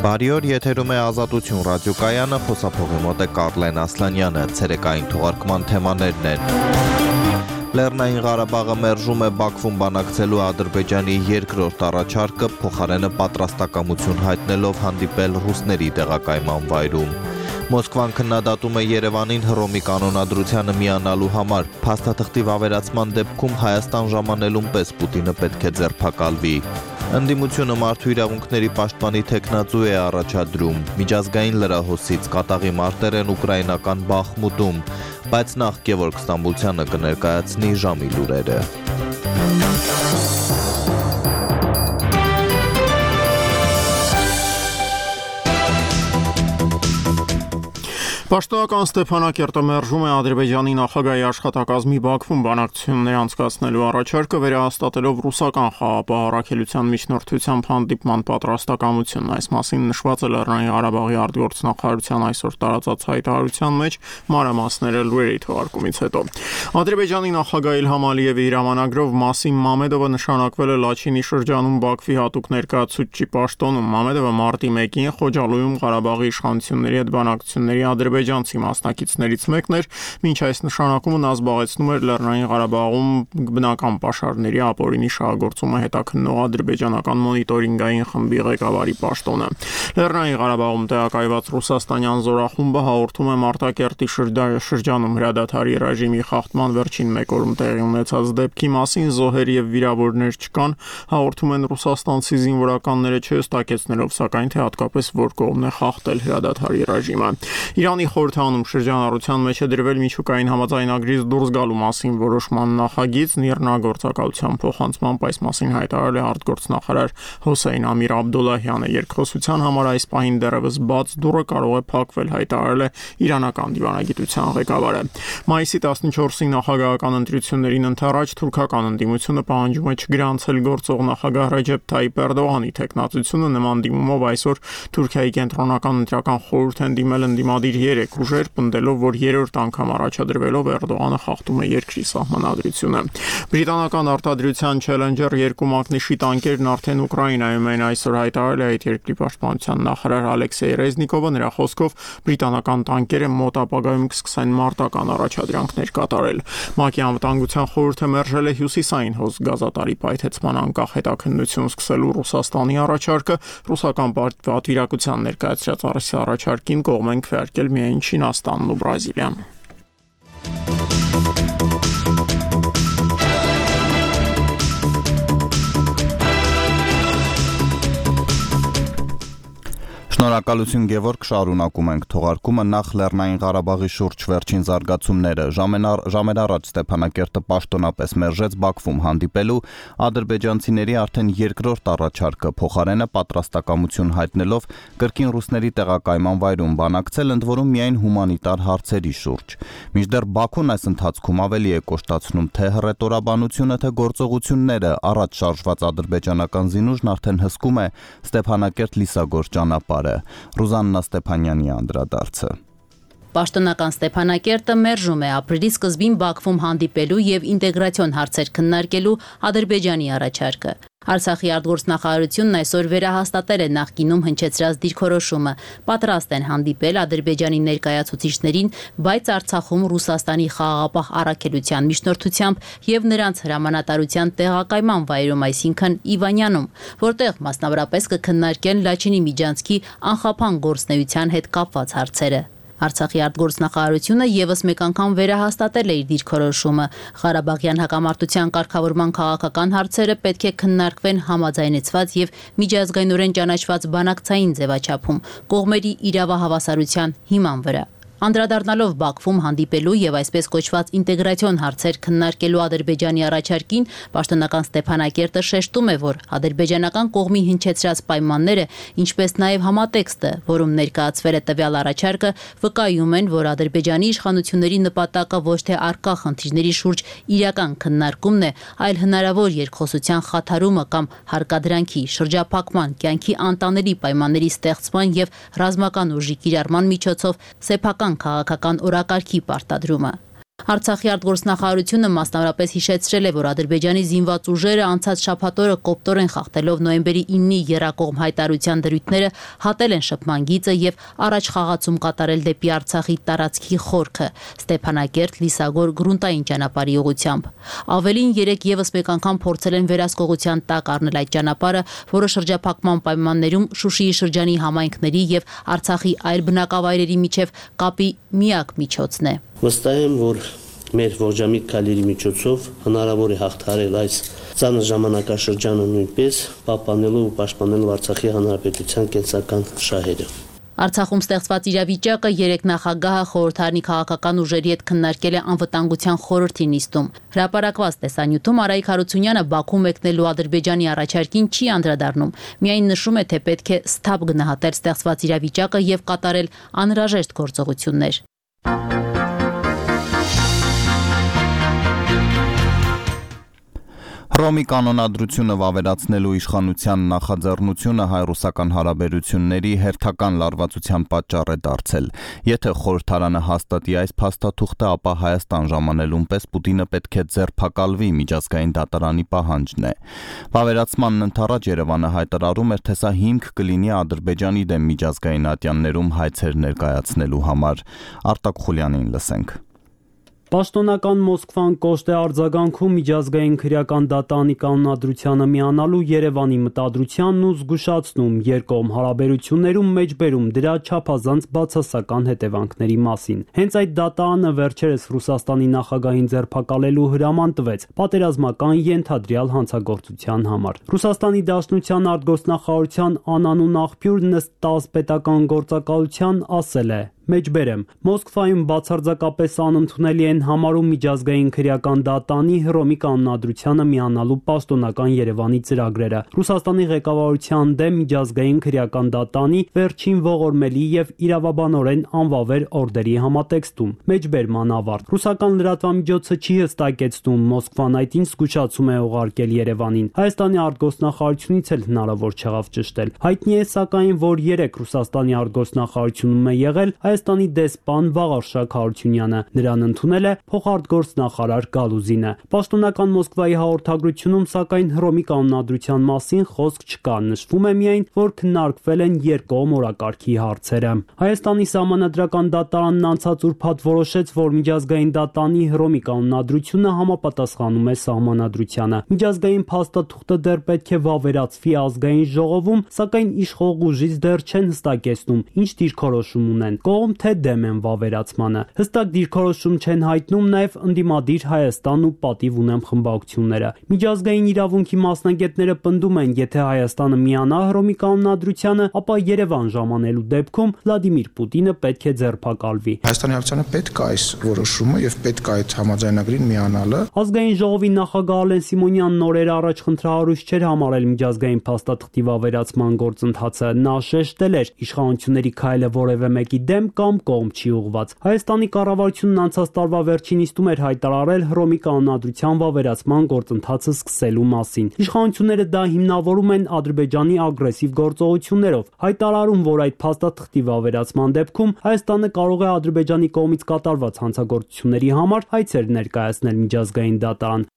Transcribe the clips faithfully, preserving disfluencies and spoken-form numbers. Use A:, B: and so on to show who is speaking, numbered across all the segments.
A: Բարի օր, եթերում է Ազատություն ռադիոկայանը, խոսափողի մոտ է Կարլեն Ասլանյանը, ցերեկային թողարկման թեմաներն են։ Լեռնային Ղարաբաղը մերժում է Բաքվում բանակցելու Ադրբեջանի երկրորդ առաջարկը, փոխարենը պատրաստակամություն հայտնելով հանդիպել ռուսների տեղակայման վայրում։ Մոսկվան քննադատում է Երևանին Հռոմի կանոնադրությանը միանալու համար, փաստաթղթի վավերացման դեպքում Հայաստան ժամանելուն պես Պուտինը պետք է ձերբակալվի։ Ընդդիմությունը մարդու իրավունքների պաշտպանի թեկնածու է առաջադրում, միջազգային լրահոսից կատաղի մարտեր են ուկրաինական Բախմուտում, բայց նախ Գևորգ Ստամբուլցյանը կներկայացնի ժամի լուրերը։
B: Պաշտոնական Ստեփանակերտը մերժում է Ադրբեջանի նախագահի աշխատակազմի Բաքվում բանակցություններ անցկացնելու առաջարկը, վերահաստատելով ռուսական խաղաղապահ առաքելության միջնորդությամբ հանդիպման պատրաստակամությունն։ Այս մասին նշված է Լեռնային Ղարաբաղի արտգործնախարարության այսօր տարածած հայտարարության մեջ, մանրամասները լուրերի թողարկումից հետո։ Ադրբեջանի նախագահ Իլհամ Ալիևի հրամանագրով Մասիմ Մամեդովը նշանակվել է Լաչինի շրջանում Բաքվի հատուկ ներկայացուցչի պաշտոնում։ Մամեդովը մարտի մեկին Խոջալույում Ղարաբաղի իշխանությունների հետ բանակցությունների ադրբեջանցի մասնակիցներից մեկն էր, մինչ այս նշանակումը նա զբաղեցնում էր Լեռնային Ղարաբաղում բնական պաշարների ապօրինի շահագործումը հետաքննող ադրբեջանական մոնիտորինգային խմբի ղեկավարի պաշտոնը։ Լեռնային Ղարաբաղում տեղակայված ռուսաստանյան զորախումբը հաղորդում է Մարտակերտի շրջանում հրադադարի ռեժիմի խախտման վերջին մեկ օրում տեղի ունեցած դեպքի մասին, զոհեր եւ վիրավորներ չկան, հաղորդում են ռուսաստանցի զինվորականները չհստակեցնելով, սակայն թե հատկապես որ կողմն է խախտել հրադադարի ռեժիմը։ Իրանի խորհրդանում շրջանառության մեջ է դրվել միջուկային համաձայնագրից դուրս գալու մասին որոշման նախագիծ, նիրնագործակալության փոխանցմամբ այս մասին հայտարարել է արտգործնախարար Հոսեյն Ամիր Աբդոլլահյանը։ Երկխոսության համար այս պահին դեռևս բաց դուռը կարող է փակվել, հայտարարել է իրանական դիվանագիտության ղեկավարը։ Մայիսի տասնչորսի նախագահական ընտրություններին ընդառաջ թուրքական ընդդիմությունը պահանջում է չգրանցել գործող նախագահ Ռեջեփ Թայիփ Էրդողանի թեկնածությունը նման դիմումով այսօր Թուրքիայի կենտրոնական ընտրական խորհուրդ են դիմել ընդդիմադիր երեք ուժեր, պնդելով, որ երրորդ անգամ առաջադրվելով Էրդողանը խախտում է երկրի սահմանադրությունը։ Բրիտանական արտադրության Challenger երկու մակնիշի տանկերն արդեն Ուկրաինայում են, այսօր հայտարարել է այդ երկրի պաշտպանության նախարար Ալեքսեյ Ռեզնիկովը։ Նրա խոսքով բրիտանական տանկերը մոտ ապագայում կսկսեն մարտական առաջադրանքներ կատարել։ ՄԱԿ-ի անվտանգության խորհուրդը մերժել է հյուսիսային հոս գազատարի պայթեցման անկախ հետաքննություն սկսելու Ռուսաստանի առաջարկը։ Ռուսական պատվիրակության ներկայացրած առաջարկին կողմ են քվեարկել միայն Չինաստանն ու Բրազիլիան։
A: Շնորհակալություն Գևորգ, շարունակում ենք թողարկումը։ Նախ Լեռնային Ղարաբաղի շուրջ վերջին զարգացումները։ Ժամեր առաջ Ստեփանակերտը պաշտոնապես մերժեց Բաքվում հանդիպելու ադրբեջանցիների արդեն երկրորդ առաջարկը, փոխարենը պատրաստակամություն հայտնելով կրկին ռուսների տեղակայման վայրում բանակցել, ընդ որում միայն հումանիտար հարցերի շուրջ։ Մինչդեռ Բաքուն այս ընթացքում ավելի է կոշտացնում թե հռետորաբանությունը, թե գործողությունները, առաջ շարժված ադրբեջանական զինուժն արդեն հսկում է Ստեփանակերտ-Լիսագոր ճանապարհը։ Ռուզաննա Ստեփանյանի անդրադարձը։
C: Պաշտոնական Ստեփանակերտը մերժում է ապրիլի սկզբին Բաքվում հանդիպելու եւ ինտեգրացիոն հարցեր քննարկելու Ադրբեջանի առաջարկը։ Արցախի արտգործնախարարությունն այսօր վերահաստատել է նախկինում հնչեցրած դիրքորոշումը։ Պատրաստ են հանդիպել Ադրբեջանի ներկայացուցիչներին, բայց Արցախում Ռուսաստանի խաղաղապահ առաքելության միջնորդությամբ եւ նրանց հրամանատարության տեղակայման վայրում, այսինքն Իվանյանում, որտեղ մասնավորապես կքննարկեն Լաչինի միջանցքի անխափան գործնեության հետ կապված հարցերը։ Արցախի արտգործնախարարությունը եւս մեկ անգամ վերահաստատել է իր դիրքորոշումը։ Ղարաբաղյան հակամարտության կարգավորման քաղաքական հարցերը պետք է քննարկվեն համաձայնեցված եւ միջազգայինորեն ճանաչված բանակցային ձևաչափում, կողմերի իրավահավասարության հիման վրա։ Անդրադառնալով Բաքվում հանդիպելու եւ այսպես կոչված ինտեգրացիոն հարցեր քննարկելու Ադրբեջանի առաջարկին, պաշտոնական Ստեփանակերտը շեշտում է, որ ադրբեջանական կողմի հնչեցրած պայմանները, ինչպես նաեւ համատեքստը, որում ներկայացվել է տվյալ առաջարկը, վկայում են, որ Ադրբեջանի իշխանությունների նպատակը ոչ թե առկա խնդիրների շուրջ իրական քննարկումն է, այլ հնարավոր երկխոսության խաթարումը կամ հարկադրանքի, շրջափակման, կյանքի անտանելի պայմանների ստեղծման եւ ռազմական ուժի կիրառման միջոցով սեփական քաղաքական օրակարգի պարտադրումը։ Արցախի արտգործնախարարությունը մասնավորապես հիշեցրել է, որ Ադրբեջանի զինված ուժերը անցած շաբաթօրը կոպտորեն խախտելով նոյեմբերի իննի եռակողմ հայտարարության դրույթները հատել են շփման գիծը եւ առաջ խաղացում կատարել դեպի Արցախի տարածքի խորքը Ստեփանակերտ, Լիսագոր գրունտային ճանապարհի ուղղությամբ։ Ավելին երեք եւս մեկ անգամ փորձել են վերահսկողության տակ առնել այդ ճանապարհը, որը շրջափակման պայմաններում Շուշիի շրջանի համայնքների եւ Արցախի այլ բնակավայրերի միջև կապի միակ միջոցն է։
D: Վստահ եմ, որ մեր ողջամիտ քայլերի միջոցով հնարավոր է հաղթահարել այս ծանր ժամանակաշրջանը նույնպես պահպանելու ու պաշտպանելու Արցախի հանրապետության կենսական շահերը։
C: Արցախում ստեղծված իրավիճակը երեք նախագահը խորհրդարանի քաղաքական ուժերի հետ քննարկել է անվտանգության խորհրդի նիստում։ Հրապարակված տեսանյութում Արայիկ Հարությունյանը Բաքու մեկնելու Ադրբեջանի առաջարկին չի անդրադառնում, միայն նշում է, թե պետք է սթափ գնահատել ստեղծված իրավիճակը եւ կատարել անհրաժեշտ գործողություններ։
A: Հռոմի կանոնադրությունը վավերացնելու իշխանության նախաձեռնությունը հայ-ռուսական հարաբերությունների հերթական լարվածության պատճառ է դարձել։ Եթե խորհրդարանը հաստատի այս փաստաթուղթը, ապա Հայաստան ժամանելուն պես Պուտինը պետք է ձերբակալվի, միջազգային դատարանի պահանջն է։ Վավերացմանն ընդառաջ Երևանը հայտարարում էր, թե սա հիմք կլինի Ադրբեջանի դեմ միջազգային ատյաններում հայցեր ներկայացնելու համար։ Արտակ Խուլյանին լսենք։
E: Պաշտոնական Մոսկվան կոշտ է արձագանքում միջազգային քրեական դատարանի կանոնադրությանը միանալու Երևանի մտադրությանն ու զգուշացնում երկկողմ հարաբերություններում մեջբերում դրա չափազանց բացասական հետևանքների մասին։ Հենց այդ դատարանը վերջերս Ռուսաստանի նախագահին ձերբակալելու հրաման տվեց պատերազմական ենթադրյալ հանցագործության համար։ Ռուսաստանի Դաշնության արտգործնախարարության անանուն աղբյուրն ըստ ՏԱՍՍ պետական գործակալության ասել է. Մեջբերեմ, Մոսկվայում բացարձակապես անընդունելի են համարում միջազգային քրեական դատարանի Հռոմի կանոնադրությանը միանալու պաշտոնական Երևանի ծրագրերը։ Ռուսաստանի ղեկավարության դեմ միջազգային քրեական դատարանի վերջին ողորմելի եւ իրավաբանորեն անվավեր օրդերի համատեքստում։ Մեջբերման ավարտ։ Ռուսական լրատվամիջոցը չի հստակեցնում Մոսկվան այդ ինչ զգուշացում է ուղարկել Երևանին։ Հայաստանի արտգործնախարարությունից էլ հնարավոր չեղավ ճշտել։ Հայտնի է սակայն, որ երեք Ռուսաստանի արտգործնախարարությունում է եղել Հայաստանի դեսպան Վաղարշակ Հարությունյանը, նրան ընդունել է փոխարտգործնախարար Գալուզինը։ Պաշտոնական Մոսկվայի հաղորդագրությունում սակայն Հռոմի կանոնադրության մասին խոսք չկա, նշվում է միայն, որ քննարկվել են երկկողմ օրակարգի հարցերը։ Հայաստանի սահմանադրական դատարանն անցած ուրբաթ որոշեց, որ միջազգային դատարանի Հռոմի կանոնադրությունը համապատասխանում է սահմանադրությանը։ Միջազգային փաստաթուղթը դեռ պետք է վավերացվի ազգային ժողովում, սակայն իշխող ուժից դեռ չեն հստակեցնում, ինչ դիրքորոշում ունեն։ Կողմ թե դեմ են վավերացմանը։ Հստակ դիրքորոշում չեն հայտնում նաև ընդդիմադիր Հայաստան ու պատիվ ունեմ խմբակցությունները։ Միջազգային իրավունքի մասնագետները պնդում են, եթե Հայաստանը միանա Հռոմի կանոնադրությանը, ապա Երևան ժամանելու դեպքում Վլադիմիր Պուտինը պետք է ձերբակալվի։
F: Հայաստանի Հանրապետությանը պետք է այս որոշումը եւ պետք է այդ համաձայնագրին միանալը։
E: Ազգային ժողովի նախագահ Ալեն Սիմոնյանն օրեր առաջ խնդրահարույց չէր համարել միջազգային փաստաթղթի վավերացման գործընթացը։ Նա շեշտել էր, իշխանությունների քայլը որևէ մեկի դեմ կամ կողմ չի ուղղված։ Հայաստանի կառավարությունն անցած տարվա վերջին նիստում էր հայտարարել Հռոմի կանոնադրության վավերացման գործընթացը սկսելու մասին։ Իշխանությունները դա հիմնավորում են Ադրբեջանի ագրեսիվ գործողություններով, հայտարարում, որ այդ փաստաթղթի վավերացման դեպքում Հայաստանը կարող է Ադրբեջանի կողմից կատարված հանցագործությունների համար հայցեր ներկայացնել միջազգային դատարան։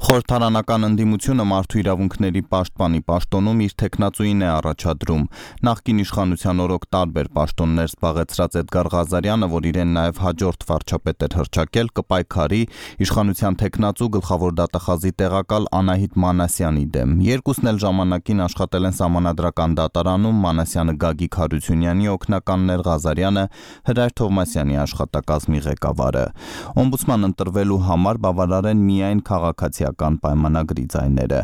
A: Խորհրդարանական ընդդիմությունը մարդու իրավունքների պաշտպանի պաշտոնում իր տեխնացուին է առաջադրում։ Նախկին իշխանության օրոք տարբեր պաշտոններ զբաղեցրած Էդգար Ղազարյանը, որ իրեն նաև հաջորդ վարչապետ էր հռչակել, կպայքարի իշխանության տեխնացու գլխավոր դատախազի տեղակալ Անահիտ Մանասյանի դեմ։ Երկուսն էլ ժամանակին աշխատել են Սահմանադրական դատարանում, Մանասյանը Գագիկ Հարությունյանի օգնականն էր, Ղազարյանը Հրայր Թովմասյանի աշխատակազմի ղեկավարը։ Օմբուդսման ընտրվելու համար բավարար են միայն քաղաքացիական պայմանագրի ձայները։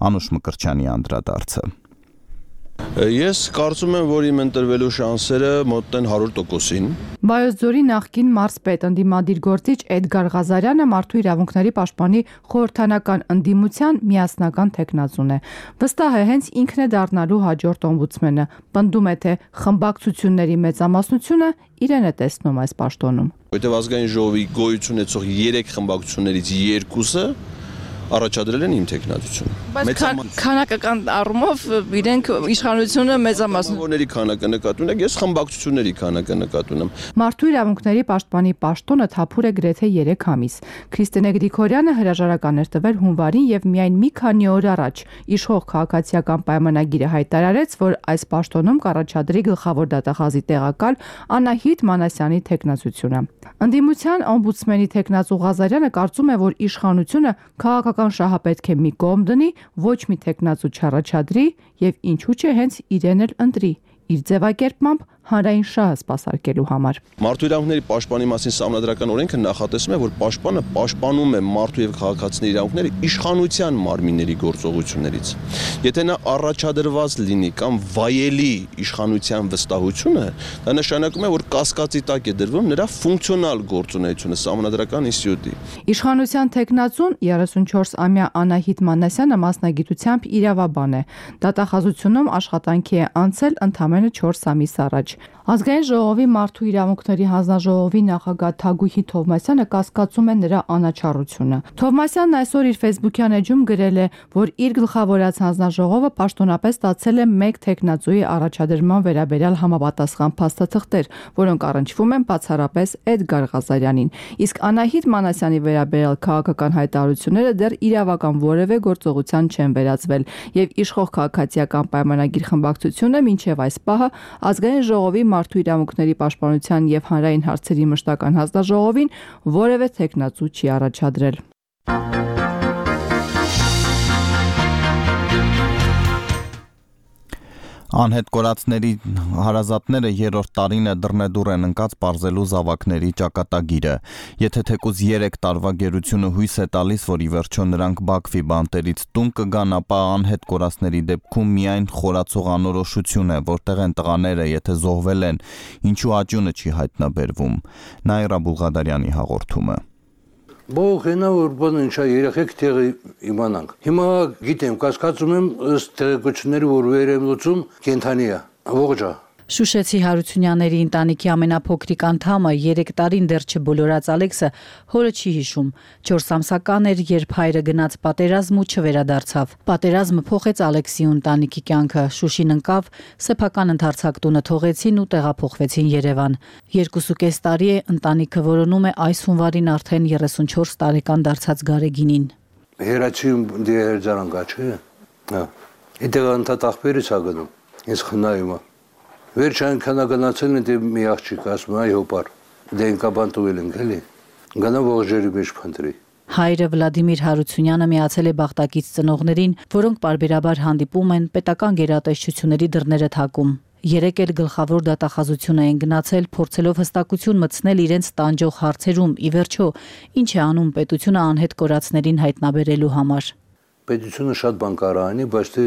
A: Անուշ Մկրտչյանի անդրադարձը։
G: Ես կարծում եմ, որ իմ ընտրվելու շանսերը մոտ են հարյուր տոկոսին։
H: Վայոց-Ձորի նախկին մարզպետ ընդդիմադիր գործիչ Էդգար Ղազարյանը մարդու իրավունքների պաշտպանի խորհրդանական ընդդիմության միասնական տեխնացուն է։ Վստահ է, հենց ինքն է դառնալու հաջորդ օմբուդսմենը։ Պնդում է, թե խմբակցությունների մեծամասնությունը իրեն է տեսնում այս պաշտոնում։
G: Որտեղ ազգային ժողովի գոյություն ունեցող երեք խմբակցություններից երկուսը առաջադրել են իմ տեխնատությունը։
I: Բայց քանակական առումով իրենք իշխանությունը մեծամասն
G: Որների քանակը նկատի ունեք, ես խմբակցությունների քանակը նկատի ունեմ։
H: Մարդու իրավունքների պաշտպանի պաշտոնը թափուր է գրեթե երեք ամիս։ Քրիստինե Գրիգորյանը հրաժարական էր տվել հունվարին եւ միայն մի քանի օր առաջ իշխող քաղաքացիական պայմանագիրը հայտարարեց, որ այս պաշտոնում կառաջադրի գլխավոր դատախազի տեղակալ Անահիտ Մանասյանի տեխնացությունը։ Ընդդիմության օմբուդսմենի տեխնացու Ղազարյանը կարծում է, որ իշխանությունը քաղաքական շահը պետք է մի կողմ դնի, ոչ մի տեխնացու չառաջադրի եւ ինչու՞ չէ հենց իրեն էլ ընտրի իր ձևակերպմամբ հանրային շահը սպասարկելու համար։
G: Մարդու իրավունքների պաշտպանի մասին Սահմանադրական օրենքը նախատեսում է, որ պաշտպանը պաշտպանում է մարդու եւ քաղաքացիների իրավունքները իշխանության մարմինների գործողություններից։ Եթե նա առաջադրված լինի կամ վայելի իշխանության վստահությունը, դա նշանակում է, որ կասկածի տակ է դրվում նրա ֆունկցիոնալ գործունեությունը Սահմանադրական ինստիտուտի։
H: Իշխանության տեխնացուն երեսունչորսամյա Անահիտ Մանասյանը մասնագիտությամբ իրավաբան է։ Դատախազությունում աշխատանքի է անցել ընդամենը չորս ամիս առաջ։ Ազգային ժողովի մարդու իրավունքների հանձնաժողովի նախագահ Թագուհի Թովմասյանը կասկածում է նրա անաչառությունը։ Թովմասյանն այսօր իր Facebook-յան էջում գրել է, որ իր գլխավորած հանձնաժողովը պաշտոնապես ստացել է մեկ տեխնացուի առաջադրման վերաբերյալ համապատասխան փաստաթղթեր, որոնք առնչվում են բացառապես Էդգար Ղազարյանին։ Իսկ Անահիտ Մանասյանի վերաբերյալ քաղաքական հայտարարությունները դեռ իրավական որևէ գործողության չեն վերածվել, եւ իշխող քաղաքացիական պայմանագիր խմբակցությունը մինչև այս պահը ազգային ժողովի մարդու իրավունքների պաշտպանության եւ հանրային հարցերի մշտական հանձնաժողովին որևէ տեխնացու չի առաջադրել։
A: Անհետ կորածների հարազատները երրորդ տարին է դռնեդուռ են ընկած պարզելու զավակների ճակատագիրը։ Եթե թեկուզ երեք տարվա գերությունը հույս է տալիս, որ ի վերջո նրանք Բաքվի բանտերից տուն կգան, ապա անհետ կորածների դեպքում միայն խորացող անորոշություն է, որտեղ են տղաները, եթե զոհվել են, ինչու աճյունը չի հայտնաբերվում։ Նաիրա Բուլղադարյանի հաղորդումը։
J: Բողենա որ բան ինչա երեխեք տեղը իմանանք։ Հիմա գիտեմ, կասկածում եմ ըստ տեղեկությունների, որ վեր եմ լուծում կենթանի է։ Ողջա։
K: Շուշեցի Հարությունյանների ընտանիքի ամենափոքրիկ անդամը երեք տարին դեռ չբոլորած Ալեքսը հորը չի հիշում։ չորս ամսական էր, երբ հայրը գնաց պատերազմ ու չվերադարձավ։ Պատերազմը փոխեց Ալեքսի ընտանիքի կյանքը։ Շուշին ընկավ, սեփական ընդարձակ տունը թողեցին ու տեղափոխվեցին Երևան։ Երկուսուկես տարի է ընտանիքը որոնում է այս հունվարին արդեն երեսունչորս տարեկան դարձած Գարեգինին։
J: Հերացիում դիերձարան կա, չէ՞։ Հա։ Իդեղ անտատախբերից ագնում։ Ես խնայում եմ։ Վերջ անքանագնացել են դե մի աղջիկ ասում այ հոպար դենկաբան տուել ենք էլի գնա ողջերի մեջ փնտրի։
K: Հայրը Վլադիմիր Հարությունյանը միացել է բախտակից ծնողներին, որոնք պարբերաբար հանդիպում են պետական գերատեսչությունների դռները թակում։ Երեք էլ գլխավոր դատախազություն էին գնացել, փորձելով հստակություն մտցնել իրենց տանջող հարցերում, ի վերջո ինչ է անում պետությունը անհետ կորածներին հայտնաբերելու համար։
J: Պետությունը շատ բան կարող անի, բայց թե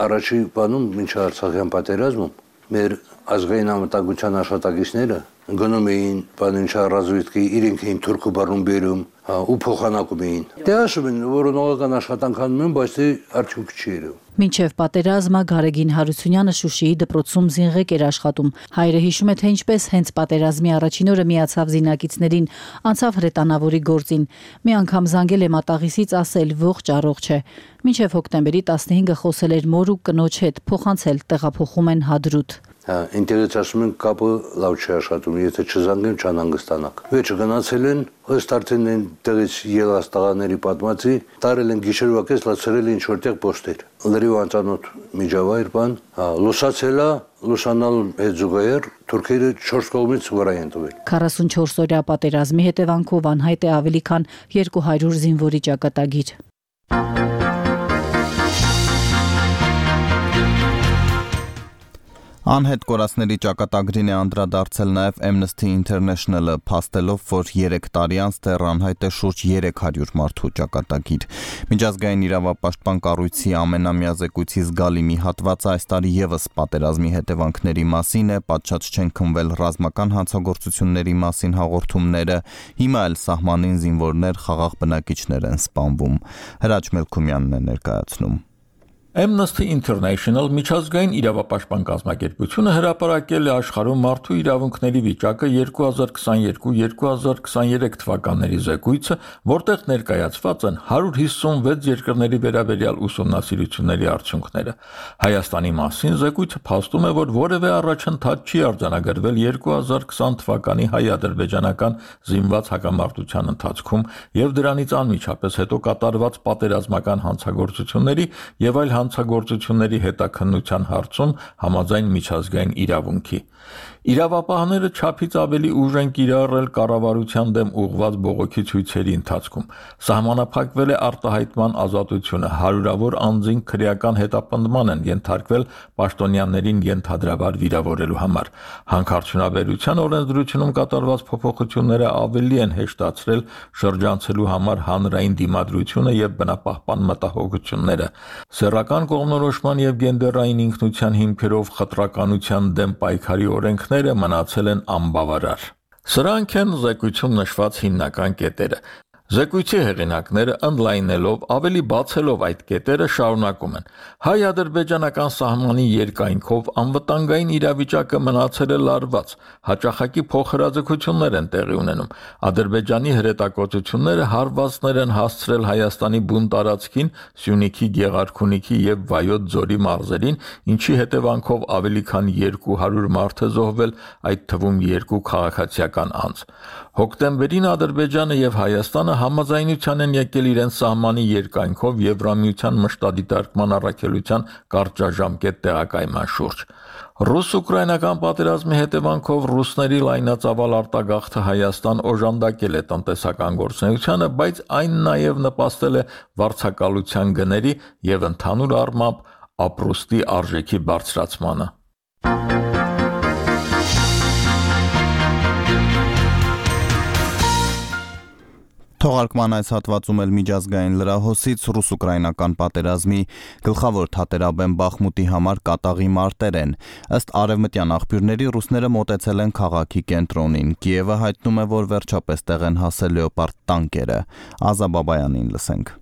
J: առաջի բանում մինչ Արցախյան պատերազմում մեր ազգային անվտանգության աշխատակիցները գնում էին բանինչա ռազվիդկի իրենք էին թուրքու բառում բերում, հա ու փոխանակում էին։ Դե ասում են, որ նորական աշխատանք անում են, բայց թե արդյունք չի երևում։
K: Մինչև պատերազմը Գարեգին Հարությունյանը Շուշիի դպրոցում զինղեկ էր աշխատում։ Հայրը հիշում է, թե ինչպես հենց պատերազմի առաջին օրը միացավ զինակիցներին, անցավ հրետանավորի գործին։ Մի անգամ զանգել է մատաղիսից ասել ողջ առողջ է։ Մինչև հոկտեմբերի տասնհինգը խոսել էր մոր ու կնոջ հետ, փոխանցել տեղափոխում են Հադրութ։
J: Հա, ինտերես ասում են կապը լավ չի աշխատում, եթե չզանգեմ չանհանգստանաք։ Վերջը գնացել են, ըստ արդեն այն տեղից ելած տղաների պատմածի, տարել են գիշերվա կես լացրել ինչ որտեղ պոստեր։ Լրիվ անծանոթ միջավայր բան, հա, լուսացել է, լուսանալու հետ զուգահեռ թուրքերը չորս կողմից վրա են տվել։
K: քառասունչորս օրյա պատերազմի հետևանքով անհայտ է ավելի քան երկու հարյուր զինվորի ճակատագիր։
A: Անհետ կորածների ճակատագրին է անդրադարձել նաև Amnesty International-ը, փաստելով, որ երեք տարի անց դեռ անհայտ է շուրջ երեք հարյուր մարդու ճակատագիր։ Միջազգային իրավապաշտպան կառույցի ամենամյա զեկույցի զգալի մի հատվածը այս տարի ևս պատերազմի հետևանքների մասին է, պատշաճ չեն քննվել ռազմական հանցագործությունների մասին հաղորդումները, հիմա էլ սահմանին զինվորներ, խաղաղ բնակիչներ են սպանվում։ Հրաչ Մելքումյանն է ներկայացնում։
L: Amnesty International միջազգային իրավապաշտպան կազմակերպությունը հրապարակել է աշխարհում մարդու իրավունքների վիճակը երկու հազար քսաներկու երկու հազար քսաներեք թվականների զեկույցը, որտեղ ներկայացված են հարյուր հիսունվեց երկրների վերաբերյալ ուսումնասիրությունների արդյունքները։ Հայաստանի մասին զեկույցը փաստում է, որ որևէ առաջընթաց չի արձանագրվել երկու հազար քսան թվականի հայ-ադրբեջանական զինված հակամարտության ընթացքում եւ դրանից անմիջապես հետո կատարված պատերազմական հանցագործությունների եւ այլ հանցագործությունների հետաքննության հարցում համաձայն միջազգային իրավունքի։ Իրավապահները չափից ավելի ուժ են կիրառել կառավարության դեմ ուղղված բողոքի ցույցերի ընթացքում։ Սահմանափակվել է արտահայտման ազատությունը, հարյուրավոր անձինք քրեական հետապնդման են ենթարկվել պաշտոնյաներին ենթադրաբար վիրավորելու համար։ Հանքարդյունաբերության օրենսդրությունում կատարված փոփոխությունները ավելի են հեշտացրել շրջանցելու համար հանրային դիմադրությունը եւ բնապահպան մտահոգությունները։ Սեռական կողմնորոշման եւ գենդերային ինքնության հիմքերով խտրականության դեմ պայքարի օրենքները մնացել են անբավարար։ Սրանք են զեկույցում նշված հիմնական կետերը։ Զեկույցի հեղինակները ընդլայնելով, ավելի բացելով այդ կետերը շարունակում են։ Հայ-ադրբեջանական սահմանի երկայնքով անվտանգային իրավիճակը մնացել է լարված, հաճախակի փոխհրաձգություններ են տեղի ունենում։ Ադրբեջանի հրետակոծությունները հարվածներ են հասցրել Հայաստանի բուն տարածքին, Սյունիքի, Գեղարքունիքի եւ Վայոց ձորի մարզերին, ինչի հետևանքով ավելի քան երկու հարյուր մարդ է զոհվել, այդ թվում երկու քաղաքացիական անձ։ Հոկտեմբերին Ադրբեջանը եւ Հայաստանը համաձայնության են եկել իրենց սահմանի երկայնքով Եվրամիության մշտադիտարկման առաքելության կարճաժամկետ տեղակայման շուրջ։ Ռուս-ուկրաինական պատերազմի հետևանքով ռուսների լայնածավալ արտագաղթը Հայաստան օժանդակել է տնտեսական գործունեությանը, բայց այն նաև նպաստել է վարձակալության գների եւ ընդհանուր առմամբ ապրուստի արժեքի բարձրացմանը։
A: Թողարկման այս հատվածում էլ միջազգային լրահոսից ռուս-ուկրաինական պատերազմի գլխավոր թատերաբեմ Բախմուտի համար կատաղի մարտեր են։ Ըստ արևմտյան աղբյուրների ռուսները մոտեցել են քաղաքի կենտրոնին։ Կիևը հայտնում է, որ վերջապես տեղ են հասել լեոպարդ տանկերը։ Ազա Բաբայանին լսենք։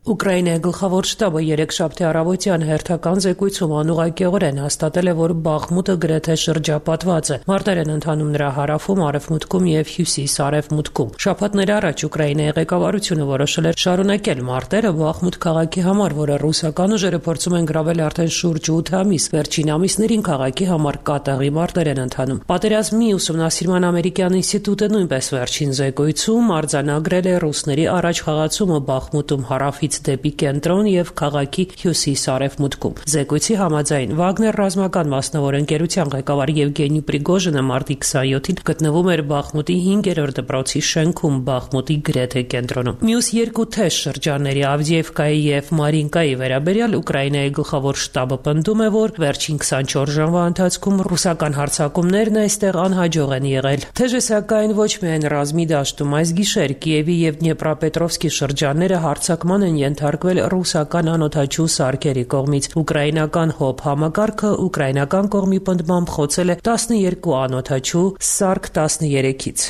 M: Ուկրաինայի գլխավոր շտաբը երեքշաբթի առավոտյան հերթական զեկույցում անուղղակիորեն հաստատել է, որ Բախմուտը գրեթե շրջապատված է։ Մարտեր են ընթանում նրա հարավում, արևմուտքում եւ հյուսիս-արևմուտքում։ Շաբաթներ առաջ Ուկրաինայի ղեկավարությունը որոշել էր շարունակել մարտերը Բախմուտ քաղաքի համար, որը ռուսական ուժերը փորձում են գրավել արդեն շուրջ ութ ամիս։ Վերջին ամիսներին քաղաքի համար կատաղի մարտեր են ընթանում։ Պատերազմի ուսումնասիրման ամերիկյան ինստիտուտը նույնպես վերջին զեկույցում արձանագրել է ռուսների առաջ խաղացումը Բախմուտում հարավից դեպի կենտրոն եւ քաղաքի հյուսիս-արևմուտքում։ Զեկույցի համաձայն Վագներ ռազմական մասնավոր ընկերության ղեկավար Եվգենի Պրիգոժինը մարտի քսայոթին գտնվում էր Բախմուտի հինգերորդ դպրոցի շենքում Բախմուտի գրեթե կենտրոնում։ Մյուս երկու թեժ շրջանների Ավդիևկայի եւ Մարինկայի վերաբերյալ Ուկրաինայի գլխավոր շտաբը պնդում է, որ վերջին քսանչորս ժամվա ընթացքում ռուսական հարձակումներն այստեղ անհաջող են եղել։ Թեժը սակայն ոչ միայն ռազմի դաշտում, այս գիշեր Կիևի եւ Դնեպրապետրովսկի շրջանները հարձակման են ենթարկվել ռուսական անօդաչու սարքերի կողմից։ Ուկրաինական հոբ համակարգը ուկրաինական կողմի պնդմամբ խոցել է տասնյոթ անօդաչու սարք տասներեքից։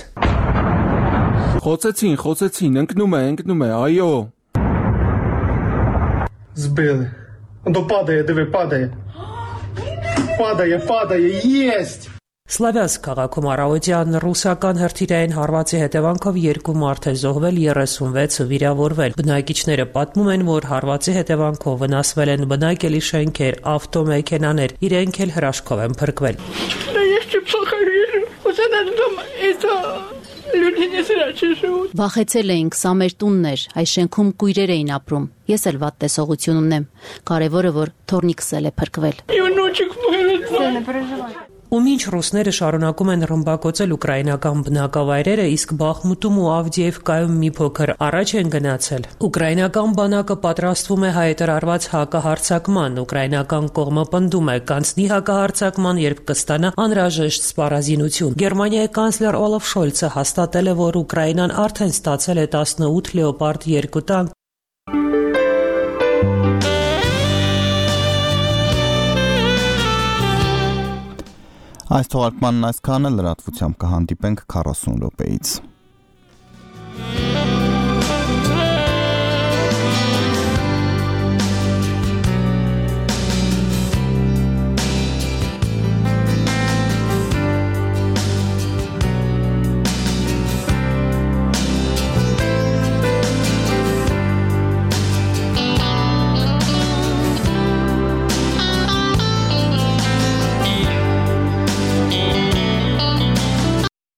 N: Խոցեցին, խոցեցին, ընկնում է, ընկնում է, այո։
O: Сбили. Он то падає, диви, падає. Падає, падає, єсть.
M: Սլավյանսկ քաղաքում առավոտյան ռուսական հրթիռային հարվածի հետևանքով երկու մարդ է զոհվել, երեսունվեցը վիրավորվել։ Բնակիչները պատմում են, որ հարվածի հետևանքով վնասվել են բնակելի շենքեր, ավտոմեքենաներ, իրենք էլ հրաշքով են փրկվել։
C: Վախեցել էինք, սա մեր տունն էր, այս շենքում կույրեր էին ապրում։ Ես էլ վատ տեսողություն ունեմ։ Կարևորը որ թորնիկս էլ է փրկվել։
M: Ու մինչ ռուսները շարունակում են ռմբակոծել ուկրաինական բնակավայրերը, իսկ Բախմուտում ու Ավդիևկայում մի փոքր առաջ են գնացել։ Ուկրաինական բանակը պատրաստվում է հայտարարված հակահարձակման։ Ուկրաինական կողմը պնդում է կանցնի հակահարձակման, երբ կստանա անհրաժեշտ սպառազինություն։ Գերմանիայի կանցլեր Օլաֆ Շոլցը հաստատել է, որ Ուկրաինան արդեն ստացել է տասնութ լեոպարդ երկու տանկ։
A: Այս թողարկմանն այսքանը, լրատվությամբ կհանդիպենք քառասուն րոպեից։